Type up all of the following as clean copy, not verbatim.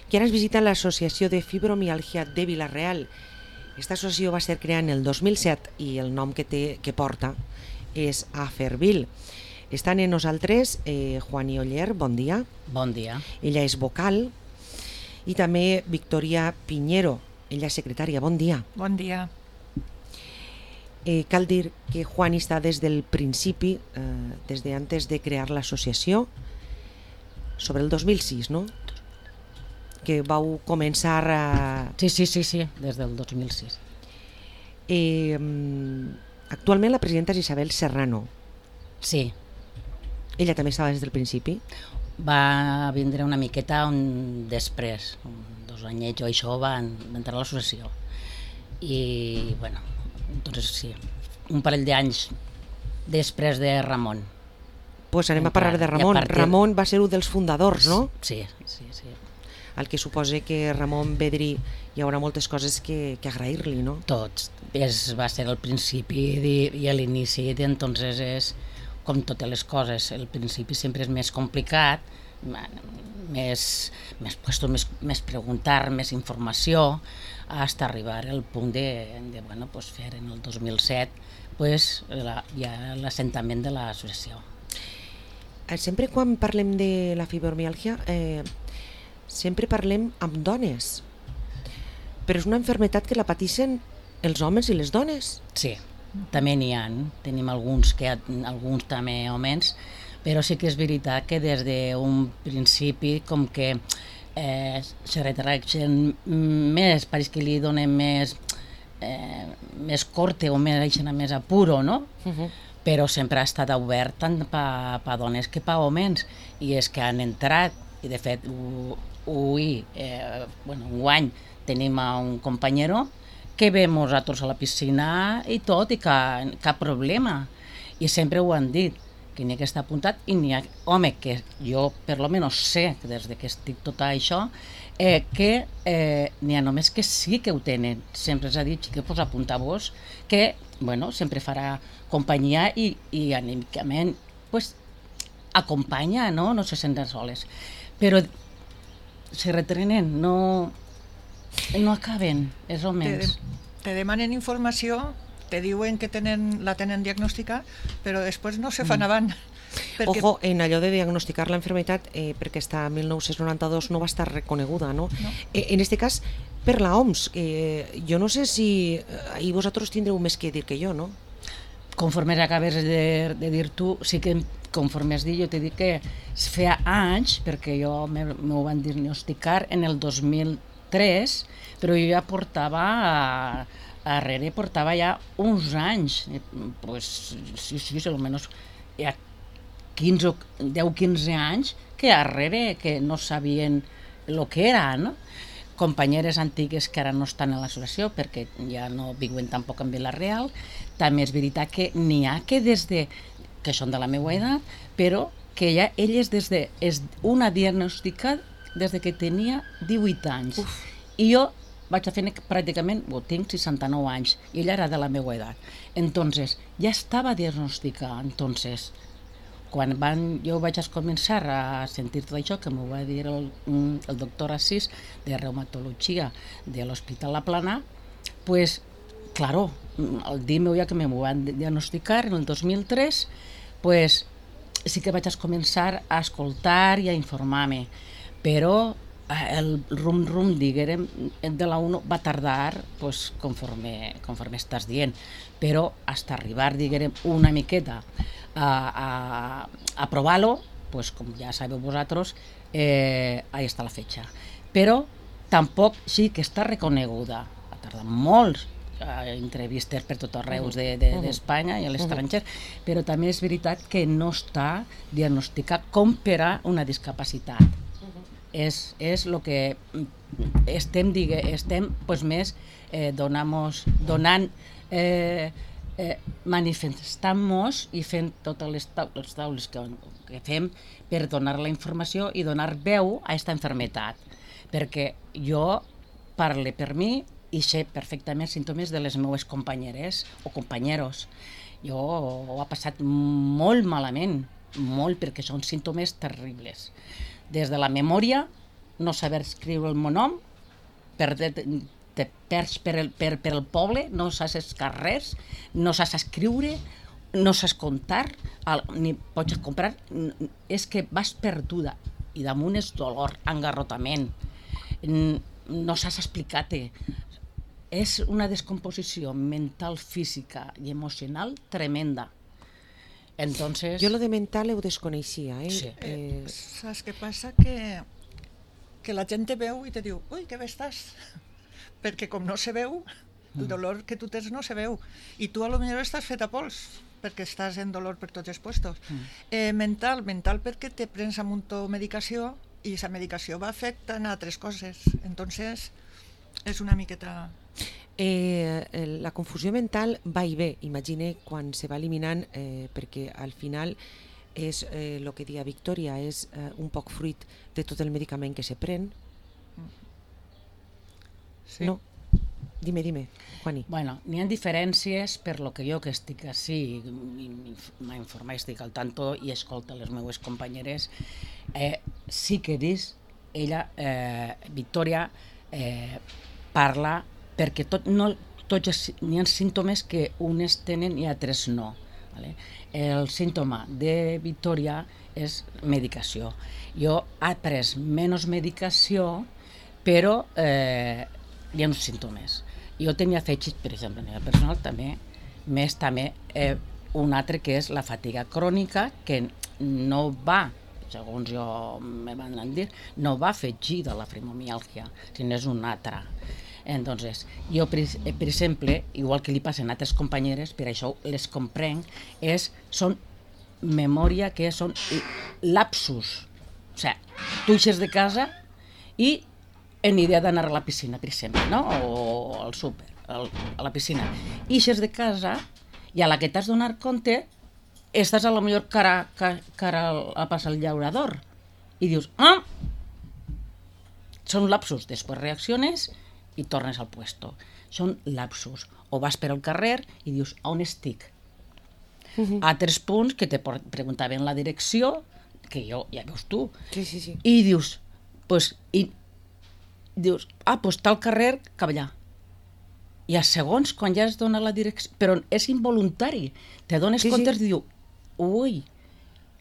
que ara ens visita l'Associació de Fibromiàlgia de Vila-real. Aquesta associació va ser creada en el 2007 i el nom que porta és Afervil. Estan amb nosaltres Juani Oller, bon dia. Bon dia. Ella és vocal. I també Victoria Piñero, ella és secretària. Bon dia. Bon dia. Cal dir que Juani està des del principi, des de antes de crear l'associació, sobre el 2006, no? Que vau començar a... Sí, des del 2006. Actualment la presidenta és Isabel Serrano. Sí. Ella també estava des del principi? Va vindre una miqueta després, 2 anyets o això, va entrar a l'associació. I, bueno, entonces sí, un parell d'anys després de Ramon. Pues anem a parlar de Ramon. Ramon va ser un dels fundadors, no? Sí. El que suposa que Ramon ve dir hi haurà moltes coses que agrair-li, no? Tots. Va ser el principi i l'inici, entonces és com totes les coses. El principi sempre és més complicat, més preguntar, més informació, fins a arribar al punt de fer en el 2007 ja l'assentament de l'associació. Sempre quan parlem de la fibromiàlgia sempre parlem amb dones, però és una malaltia que la pateixen els homes i les dones. Sí, també n'hi ha, tenim alguns també homes, però sí que és veritat que des d'un principi com que se retracten més, pareix que li donen més corte o més apuro, no? Però sempre ha estat obert tant per a dones que per a homes, i és que han entrat, i de fet enguany tenim un companyero que ve amb nosaltres a la piscina i tot, i cap problema, i sempre ho han dit, que n'hi ha que està apuntat, i n'hi ha, home, que jo per lo menos sé, des que estic tot això, que n'hi ha homes que sí que ho tenen. Sempre s'ha dit que apuntar-vos, que sempre farà companyia i anímicament acompanya, no se senten soles. Però se retrenen, no acaben, els homes. Te demanen informació, te diuen que la tenen diagnòstica, però després no se fan avant. Ojo, en allò de diagnosticar la enfermedad, perquè està en 1992 no va estar reconeguda, ¿no? En este cas, per la OMS, jo no sé si ahí vosaltres tindreu més que dir que jo, no? Conforme acabes de dir tu, sí que conforme has dit, jo t'he dit que feia anys, perquè jo m'ho van diagnosticar en el 2003, però jo ja portava ja uns anys, sí, almenys ja 10-15 anys que darrere que no sabien el que era, no? Companyeres antigues que ara no estan a l'associació perquè ja no viuen tampoc en Vila-real. També és veritat que n'hi ha que que són de la meva edat, però que ja elles una diagnòstica des que tenia 18 anys. I jo vaig a fer pràcticament, tinc 69 anys, i ella era de la meva edat. Entonces, ja estava diagnosticada. Entonces, quan jo vaig començar a sentir tot això, que m'ho va dir el doctor Assis, de reumatologia de l'Hospital La Plana, pues, claro, el dia meu ja que m'ho van diagnosticar, en el 2003, pues, sí que vaig començar a escoltar i a informar-me, però el rum-rum, diguem, de la UNO va tardar, pues, conforme estàs dient, però fins a arribar, diguem, una miqueta a provar-lo, pues, com ja sabeu vosaltres, ahí està la fetge. Però tampoc sí que està reconeguda, ha tardat molts entrevistes per tot arreu d'Espanya i a l'estranger, però també és veritat que no està diagnosticat com per a una discapacitat. És el que estem més donant, manifestant-nos i fent totes les taules que fem per donar la informació i donar veu a aquesta malaltia, perquè jo parlo per mi i sé perfectament símptomes de les meves companyeres o companyeros. Jo ho he passat molt malament, molt, perquè són símptomes terribles. Des de la memòria no saber escriure el meu nom, te perds per el poble, no saps res, no saps escriure, no saps comptar, ni pots comprar, és que vas perduda, i damunt és dolor, engarrotament, no saps explicar-te. És una descomposició mental, física i emocional tremenda. Entonces... Jo lo de mental ho desconeixia. Sí. Saps què passa? Que la gent te veu i te diu ui, que bé estàs, perquè com no se veu, el dolor que tu tens no se veu, i tu a lo millor estàs fet a pols, perquè estàs en dolor per tots els puestos. Mental perquè te prens a muntó medicació i la medicació va afectant a altres coses, entonces és una miqueta... La confusió mental va i ve, imagine quan se va eliminant, perquè al final és el que dia Victòria, és un poc fruit de tot el medicament que se pren. Sí. No? Dime, Juani. Bueno, n'hi ha diferències per lo que jo que estic així, m'ha informat, estic al tanto i escolta les meues companyeres, sí que ella, Victòria, parla perquè n'hi ha símptomes que unes tenen i altres no. Vale? El símptoma de Victòria és medicació. Jo he pres menys medicació, però hi ha uns símptomes. Jo tenia afegit, per exemple, a nivell personal també, més també un altre que és la fatiga crònica, que no va, segons jo me van dir, no va afegida a la fibromiàlgia, sinó és una altra. Entonces, jo, per exemple, igual que li passen a altres companyeres, per això les comprenc, són memòria que són lapsus. O sigui, tu eixes de casa i en idea d'anar a la piscina, per exemple, no? O al súper, a la piscina. Eixes de casa i a la que t'has donat compte estàs a lo millor cara a passar el llaurador i dius, són lapsus, després reacciones i tornes al puesto. Són lapsus. O vas per al carrer i dius, on estic? Altres punts que te preguntaven la direcció, que jo, ja veus tu, Sí. i dius, pues tal carrer cap allà. I a segons, quan ja es dona la direcció, però és involuntari, te dones compte i dius, ui,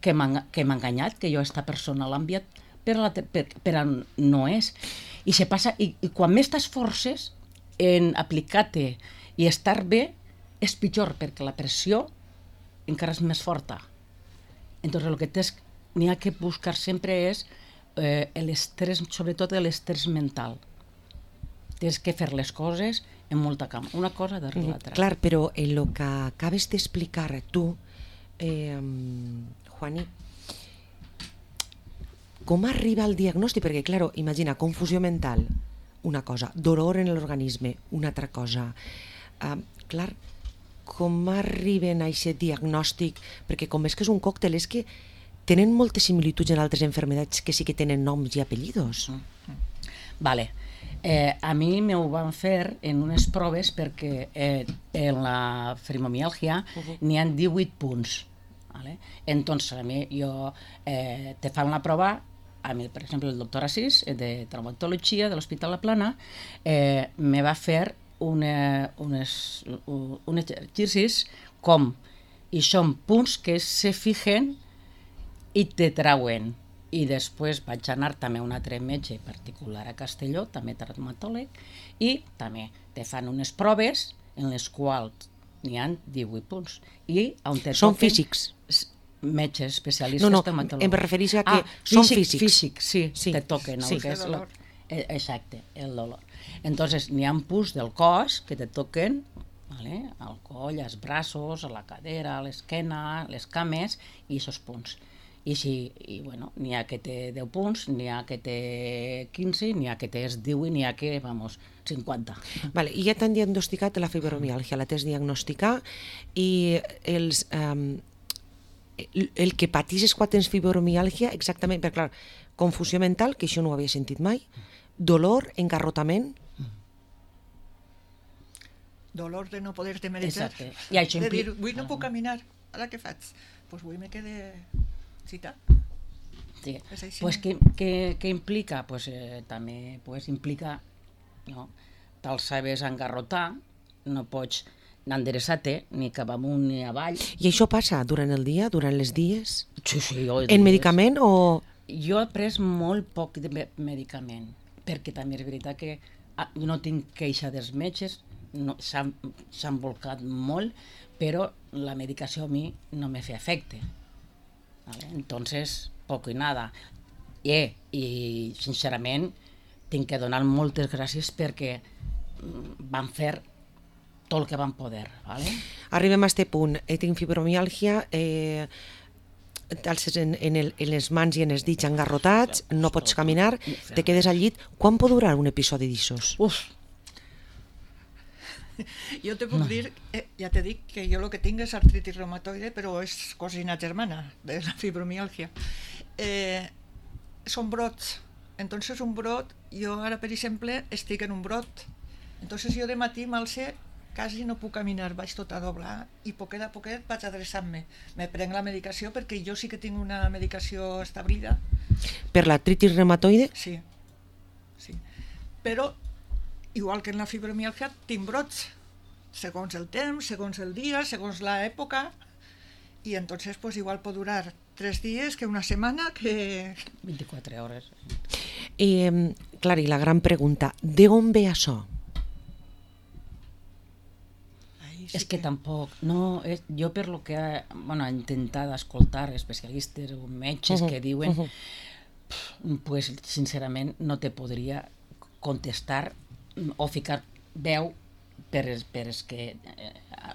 que m'ha enganyat, que jo aquesta persona l'ha enviat per on no és. I se passa, i quan més t'esforces en aplicar-te i estar bé, és pitjor, perquè la pressió encara és més forta. Entonces, el que n'hi ha que buscar sempre és l'estrès, sobretot l'estrès mental. Tens que fer les coses en molta calma, una cosa darrere l'altra. Clar, però en el que acabes d'explicar tu, Juani, com arriba el diagnòstic? Perquè, clar, imagina, confusió mental, una cosa, dolor en l'organisme, una altra cosa. Clar, com arriben a aquest diagnòstic? Perquè com és que és un còctel, és que tenen moltes similituds en altres malalties que sí que tenen noms i apellidos. Vale. A mi m'ho van fer en unes proves perquè en la fibromiàlgia n'hi ha 18 punts. Vale? Entonces, a mi te fan la prova, a mi, per exemple, el doctor Asís, de traumatologia de l'Hospital La Plana, me va fer uns exercicis com, i són punts que se fijen i te trauen. I després vaig anar també a un altre metge particular a Castelló, també traumatòleg, i també te fan unes proves en les quals n'hi ha 18 punts. I on te són físics? Metges especialistes traumatòlegs. Em refereixo a que són físics. Físics, sí, te toquen. Sí, el dolor. Exacte, el dolor. Entonces, n'hi ha punts del cos que te toquen, ¿vale? Al coll, als braços, a la cadera, a l'esquena, les cames, i aquests punts. I bueno, n'hi ha que té 10 punts, n'hi ha que té 15, n'hi ha que té 18, n'hi ha que, 50. Vale, i ja t'han diagnosticat la fibromiàlgia, la t'has diagnosticar, i el que patisses quan tens fibromiàlgia, exactament, perquè clar, confusió mental, que això no ho havia sentit mai, dolor, engarrotament... Dolor de no poder-te medicar. Exacte. I això de dir, avui no puc caminar, ara què faig? Doncs avui me quede citat. Sí. És així. Pues què implica? Pues, també pues, implica, no? Te'l sabes engarrotar, no pots endereçar-te ni cap amunt ni avall. I això passa durant el dia, durant les dies? Sí, jo En medicament o...? Jo he pres molt poc de medicament, perquè també és veritat que no tinc queixa dels metges, no, s'han volcat molt, però la medicació a mi no me fa efecte. ¿Vale? Entonces, poco y nada. I sincerament, tinc que donar moltes gràcies perquè van fer tot el que van poder. ¿Vale? Arribem a este punt. Tinc fibromiàlgia, t'alces en les mans i en els dits engarrotats, no pots caminar, te quedes al llit. Quan pot durar un episodi d'aixòs? Jo te puc dir, ja t'he dit que jo el que tinc és artritis reumatoide, però és cosina germana de la fibromiàlgia. Són brots. Entonces un brot, jo ara per exemple estic en un brot. Entonces jo de matí m'alce, quasi no puc caminar, vaig tot a doblar i poquet a poquet vaig adreçant-me. Me prenc la medicació perquè jo sí que tinc una medicació establida. Per l'artritis reumatoide? Sí. Però igual que en la fibromiàlgia, tinc brots, segons el temps, segons el dia, segons l'època, i entonces pues igual pot durar 3 dies que una setmana que... 24 hores. I, clar, i la gran pregunta, d'on ve això? Sí és que tampoc, no, jo per lo que he intentat escoltar especialistes o metges que diuen, pues sincerament no te podria contestar o ficar veu per els que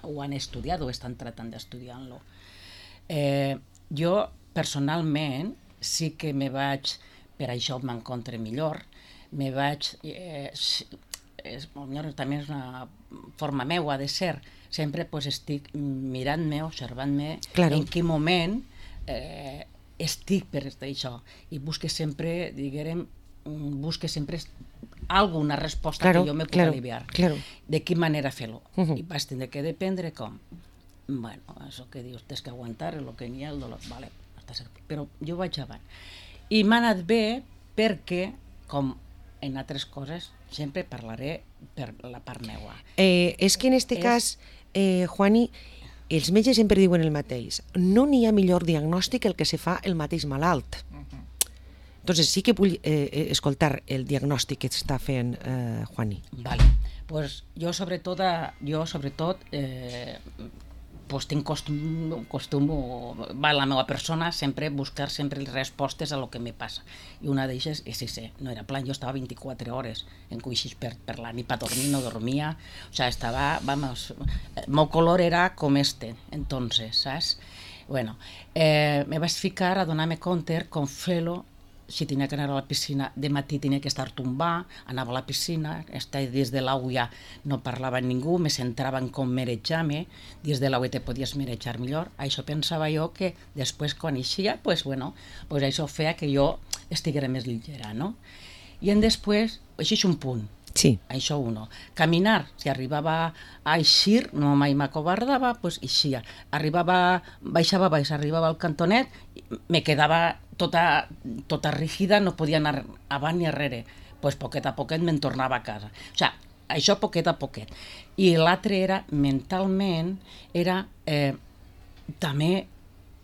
ho han estudiat o estan tratant d'estudiar-lo. Jo personalment sí que me vaig, per això m'encontre millor, me vaig, també és una forma meua de ser, sempre estic mirant-me, observant-me en quin moment estic per això i busque sempre, diguem, alguna resposta que jo me puc aliviar. De quina manera fer-lo. I vas tindre que dependre com. Bueno, això que dius, tens que aguantar el que n'hi ha, el dolor. Vale, però jo vaig avant. I m'ha anat bé perquè, com en altres coses, sempre parlaré per la part meua. És que en aquest cas, Juani, els metges sempre diuen el mateix. No n'hi ha millor diagnòstic el que se fa el mateix malalt. Entonces sí que vull escoltar el diagnòstic que està fent Juani. Vale. Pues jo sobretot pues tinc costum va la meva persona sempre buscar sempre les respostes a lo que me passa. I una d'elles és sí, no era plan, jo estava 24 hores en cuixis per la nit, per dormir, no dormia, o sea, estava, vamos, el meu color era com entonces, saps? Bueno, me vaig ficar a donar-me compte com fer-lo. Si tenia que anar a la piscina, de matí tenia que estar tombar, anava a la piscina, des de l'aigua no parlava amb ningú, me centrava en com merejar-me, des de l'aigua te podies merejar millor. Això pensava jo que després, quan eixia, pues això feia que jo estiguera més lleugera, no? I després, això és un punt. Sí. Això uno. Caminar, si arribava a eixir, no mai m'acobardava, doncs eixia. Baixava baix, arribava al cantonet, me quedava tota rígida, no podia anar avant ni arrere. Doncs poquet a poquet me'n tornava a casa. O sigui, això poquet a poquet. I l'altre era, mentalment, era també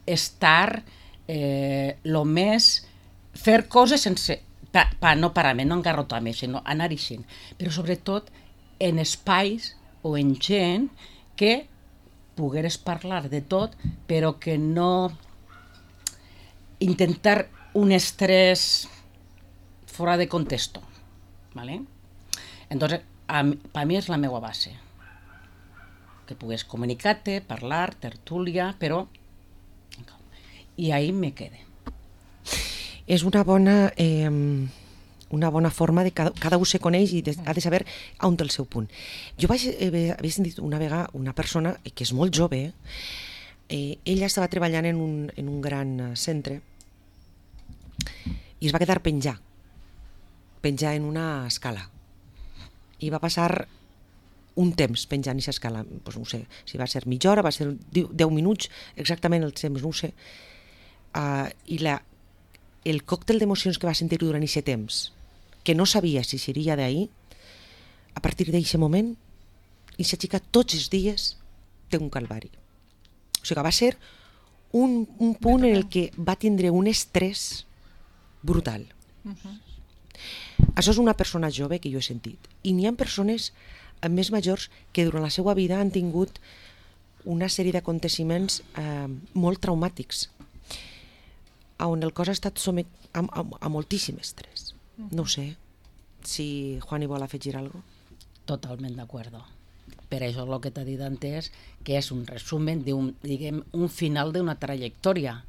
estar lo més... fer coses sense... no parar-me, no engarrotar-me, sinó anar eixint. Però sobretot en espais o en gent que pogueres parlar de tot, però que no intentar un estrès fora de contexto. ¿Vale? Entonces, per mi és la meva base. Que pugues comunicar-te, parlar, tertúlia, però... I ahí me quede. És una bona forma de cada un se coneix i ha de saber on té el seu punt. Jo havia sentit una vegada una persona que és molt jove, ella estava treballant en un gran centre i es va quedar penjar en una escala i va passar un temps penjant aquesta escala, doncs no sé si va ser mitja hora, va ser 10 minuts exactament el temps, no ho sé, i el còctel d'emocions que va sentir durant aquest temps, que no sabia si seria d'ahir, a partir d'aquest moment, aquesta xica tots els dies té un calvari. O sigui que va ser un punt en el que va tindre un estrès brutal. Això és una persona jove que jo he sentit. I n'hi ha persones més majors que durant la seva vida han tingut una sèrie d'aconteciments molt traumàtics, on el cos ha estat a moltíssim estrès. No sé si Juani vol afegir alguna cosa. Totalment d'acord. Per això el que t'ha dit antes, que és un resumen diguem, un final d'una trajectòria,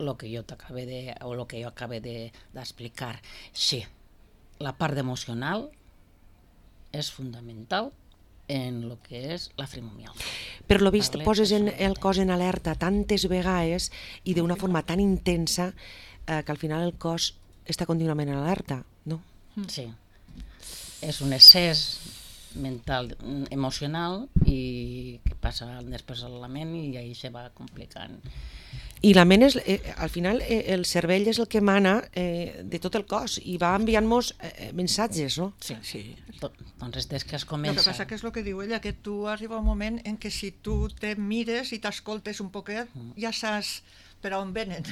el que jo acabo d'explicar. Sí, la part emocional és fundamental en el que és la fibromiàlgia. Per lo vist, poses el cos en alerta tantes vegades i d'una forma tan intensa que al final el cos està contínuament en alerta, no? Sí. És un excés mental, emocional, i que passa després a la ment i ahí se va complicant. I la ment, al final, el cervell és el que mana de tot el cos i va enviant-nos missatges, no? Sí. Doncs des que es comença... El que passa que és el que diu ella, que tu arriba un moment en què si tu te mires i t'escoltes un poquet, ja saps per on venen.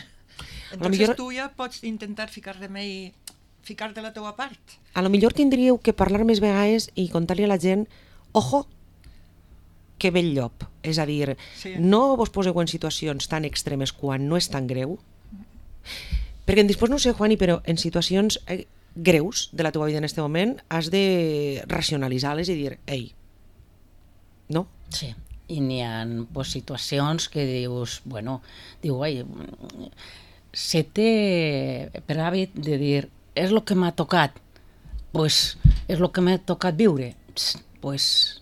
Entonces tu ja pots intentar ficar remei, ficar de la teua part. A lo millor tindríeu que parlar més vegades i contar-li a la gent, ojo, que ve el llop. És a dir, no vos poseu en situacions tan extremes quan no és tan greu, perquè després no sé, Juani, però en situacions greus de la teva vida en aquest moment has de racionalitzar-les i dir, ei, no? Sí, i n'hi ha situacions que dius, se té per hàbit de dir, és el que m'ha tocat, pues és el que m'ha tocat viure, pues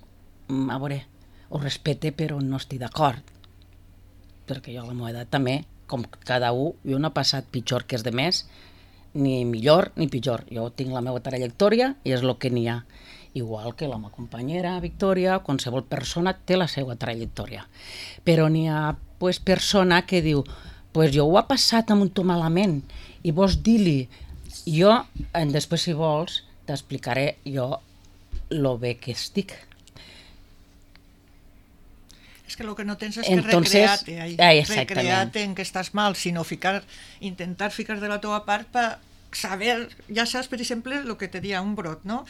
a veure, ho respecte però no estic d'acord, perquè jo a la meva edat també, com cada un, jo no he passat pitjor que els demés, ni millor ni pitjor, jo tinc la meva trajectòria i és el que n'hi ha, igual que la meva companyera Victòria, qualsevol persona té la seva trajectòria, però n'hi ha persona que diu, pues jo ho he passat amb un to malament i vols dir-li, jo després si vols t'explicaré jo lo bé que estic. És que el que no tens és que recrear-te en que estàs mal, sinó intentar ficar de la teva part per saber, ja saps, per exemple, el que te dia un brot, no?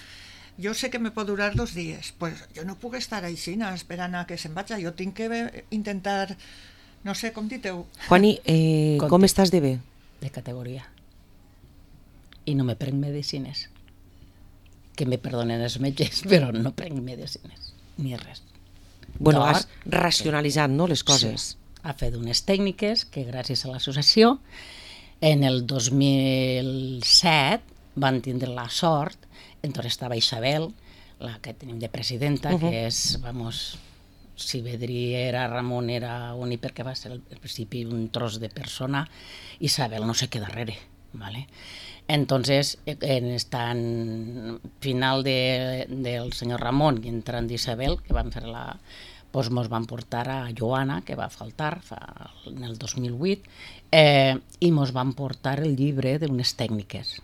Jo sé que me pot durar 2 dies, pues jo no puc estar així esperant a que se'n vagi, jo tinc que intentar, no sé, com diteu. Juani, com estàs de bé? De categoria. I no me prenc medicines. Que me perdonen els metges, però no prenc medicines, ni res. Bueno, has racionalitzat, no, les coses. Sí, ha fet unes tècniques que gràcies a l'associació en el 2007 van tindre la sort, entonces estava Isabel, la que tenim de presidenta, que és, si Vedrí era Ramon era únic perquè va ser al principi un tros de persona, Isabel no se queda darrere, ¿vale? Entonces, en final del senyor Ramon i entrant d'Isabel, que van fer pues mos van portar a Joana, que va faltar en el 2008, i mos van portar el llibre d'unes tècniques,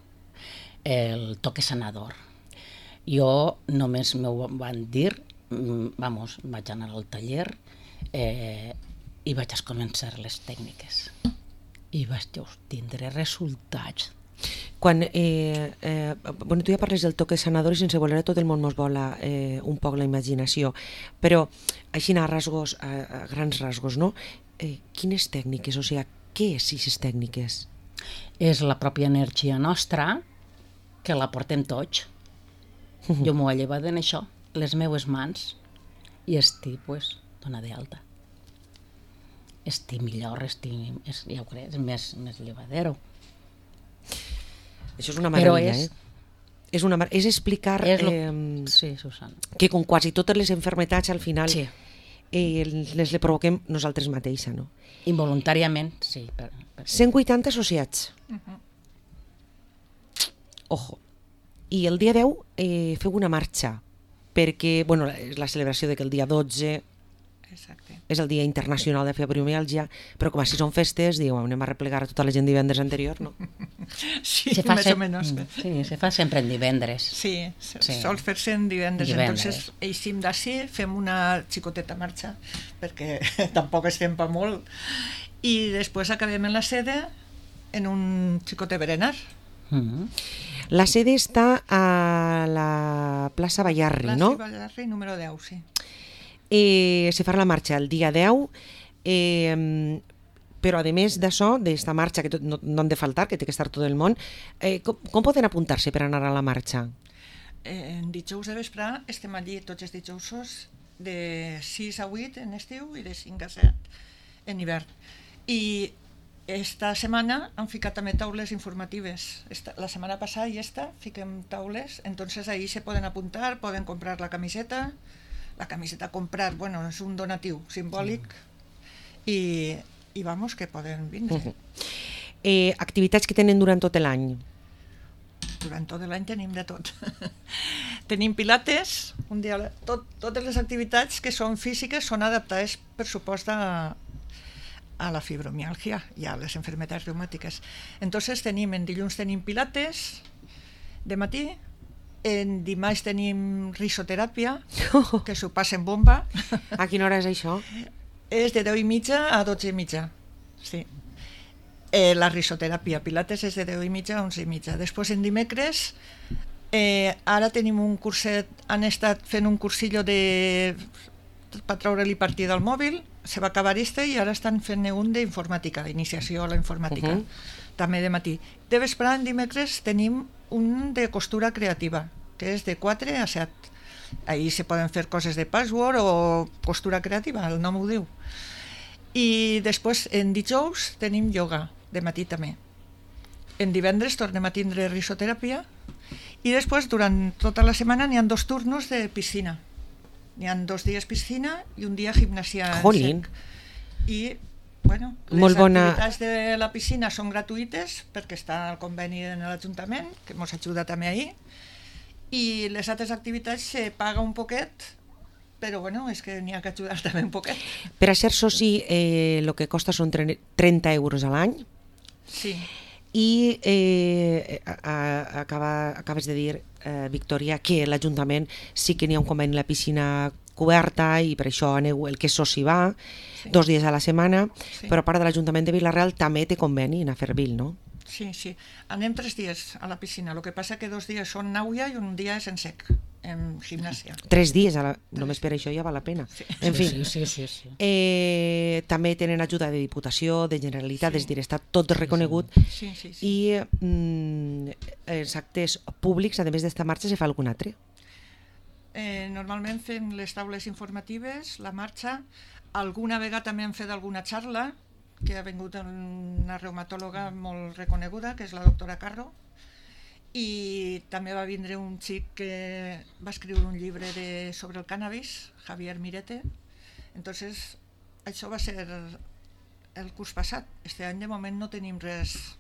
el toque sanador. Jo només m'ho van dir, vaig anar al taller i vaig començar les tècniques. I vaig tindre resultats. Quan, tu ja parles del toque sanador i sense voler tot el món mos vola un poc la imaginació, però així a grans rasgos, no? Quines tècniques, o sigui, què és aquestes tècniques? És la pròpia energia nostra que la portem tots. Jo m'ho he llevat en això, les meues mans, i estic, dona d'alta. Estic millor, ja ho crec, és més llevadero. Això és una meravella, és explicar sí, Susana, que com quasi totes les malalties al final les provoquem nosaltres mateixes, no? Involuntàriament, sí. 180 associats. Ojo. I el dia 10 feu una marxa, perquè és la celebració de que el dia 12 Exacte. És el dia internacional de fibromiàlgia, però com així són festes, diu, anem a replegar a tota la gent divendres anterior, no? Sí, más o menos. Sí, se fa sempre en divendres. Sí, sol fer-se en divendres. Entonces, eixim d'ací, fem una xicoteta marxa, perquè tampoc estem per molt, i després acabem en la sede en un xicotet berenar. La sede està a la plaça Ballarri, no? Plaça Ballarri, número 10, sí. Se farà la marxa el dia 10, però a més d'això, d'esta marxa que no han de faltar, que té que estar tot el món, com poden apuntar-se per anar a la marxa? En dijous de vespre estem allí tots els dijousos de 6 a 8 en estiu i de 5 a 7 en hivern. I esta setmana han ficat també taules informatives. La setmana passada i esta fiquem taules, entonces ahí se poden apuntar, poden comprar la camiseta comprar, bueno, és un donatiu simbòlic i vamos, que poden vindre. Activitats que tenen durant tot l'any? Durant tot l'any tenim de tot. Tenim pilates, un dia, totes les activitats que són físiques són adaptades, per supost, a la fibromialgia i a les enfermedades reumàtiques. Entonces en dilluns tenim pilates de matí, en dimarts tenim risoteràpia, que s'ho passen bomba. A quina hora és això? És de 10:30 a 12:30, sí. La risoteràpia, pilates és de 10:30 a 11:30. Després en dimecres, ara tenim un curset, han estat fent un cursillo per treure-li partida al mòbil, se va acabar i ara estan fent un d'informàtica, d'iniciació a la informàtica, també de matí. De vespre, en dimecres, tenim un de costura creativa, que és de 4 a 7. Ahí se poden fer coses de password o costura creativa, el nom ho diu. I després, en dijous, tenim yoga, de matí també. En divendres tornem a tindre risoteràpia i després, durant tota la setmana, n'hi ha 2 turnos de piscina. N'hi ha 2 dies piscina i un dia gimnàsia en sec. I, bueno, les activitats de la piscina són gratuïtes perquè està el conveni en l'Ajuntament, que ens ajuda també ahir, i les altres activitats se paga un poquet, però bueno, és que n'hi ha que ajudar també un poquet. Per a ser soci, el que costa són 30 euros a l'any. Sí. I acabes de dir, Victòria, que l'Ajuntament sí que n'hi ha un conveni a la piscina coberta i per això aneu, el que és soci va, 2 dies a la setmana, però a part de l'Ajuntament de Vila-real també té conveni en Afervil, no? Sí, sí. Anem 3 dies a la piscina, el que passa que 2 dies són nàuia i un dia és en sec, en gimnàsia. 3 dies, només per això ja val la pena. En fi, també tenen ajuda de Diputació, de Generalitat, és dir, està tot reconegut. I els actes públics, a més d'esta marxa, se fa algun altre? Normalment fem les taules informatives, la marxa, alguna vegada també hem fet alguna xarla, que ha vingut una reumatòloga molt reconeguda, que és la doctora Carro, i també va vindre un xic que va escriure un llibre sobre el cànnabis, Javier Mirete. Entonces, això va ser el curs passat. Este any de moment no tenim res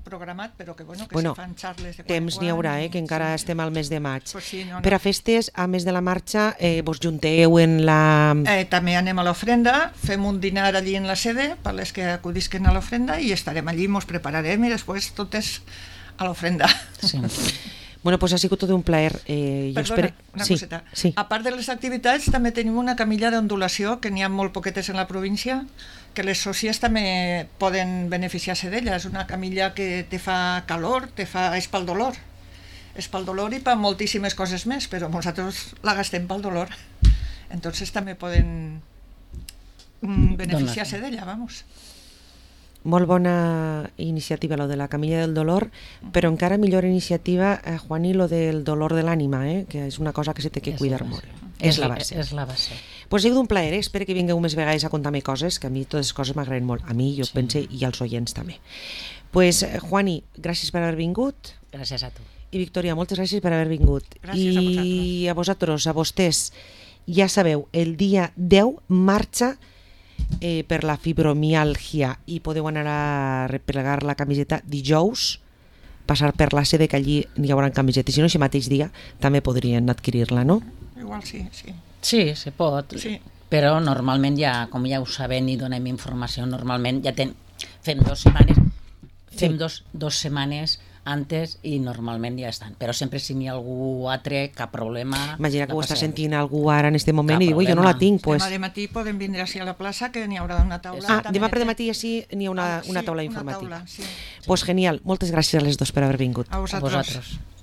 programat, però que, bueno, que se fan xarles de quan temps n'hi haurà, que encara estem al mes de maig. No. Per a festes, a més de la marxa, vos junteu en la... També anem a l'ofrenda, fem un dinar allí en la sede per les que acudisquen a l'ofrenda i estarem allí, ens prepararem i després tot és a l'ofrenda. Sí. Bueno, pues ha sigut tot un plaer. Perdona, una coseta. Sí. A part de les activitats, també tenim una camilla d'ondulació, que n'hi ha molt poquetes en la província, que les sòcies també poden beneficiar-se d'ella. És una camilla que te fa calor, és pel dolor. És pel dolor i per moltíssimes coses més, però nosaltres la gastem pel dolor. Entonces també poden beneficiar-se d'ella, vamos. Molt bona iniciativa, lo de la camilla del dolor, però encara millor iniciativa, Juani, lo del dolor de l'ànima, que és una cosa que se té que cuidar molt. És la base. És la base. Pues ha sigut un plaer, espero que vingueu més vegades a contar-me coses, que a mi totes les coses m'agraden molt. A mi, jo pense, i als oients també. Pues, Juani, gràcies per haver vingut. Gràcies a tu. I Victòria, moltes gràcies per haver vingut. Gràcies a vosaltres. I a vosaltres, a vostès, ja sabeu, el dia 10 marxa per la fibromialgia i podeu anar a replegar la camiseta dijous, passar per la sede que allí hi haurà camiseta, i si no, aquest mateix dia també podrien adquirir-la, no? Igual sí, sí. Sí, se pot. Sí. però normalment ja, com ja ho sabem i donem informació, normalment ja fem 2 setmanes, fem dos setmanes antes i normalment ja estan. Però sempre si n'hi ha algú altre, cap problema. Imagina que no ho està passa sentint algú ara en aquest moment Cap i diu, jo no la tinc. Pues... Demà de matí podem vindre així a la plaça, que n'hi haurà una taula. Demà per matí així n'hi ha una taula sí, informativa. una taula, sí. Pues genial, moltes gràcies a les dos per haver vingut. A vosaltres. A vosaltres.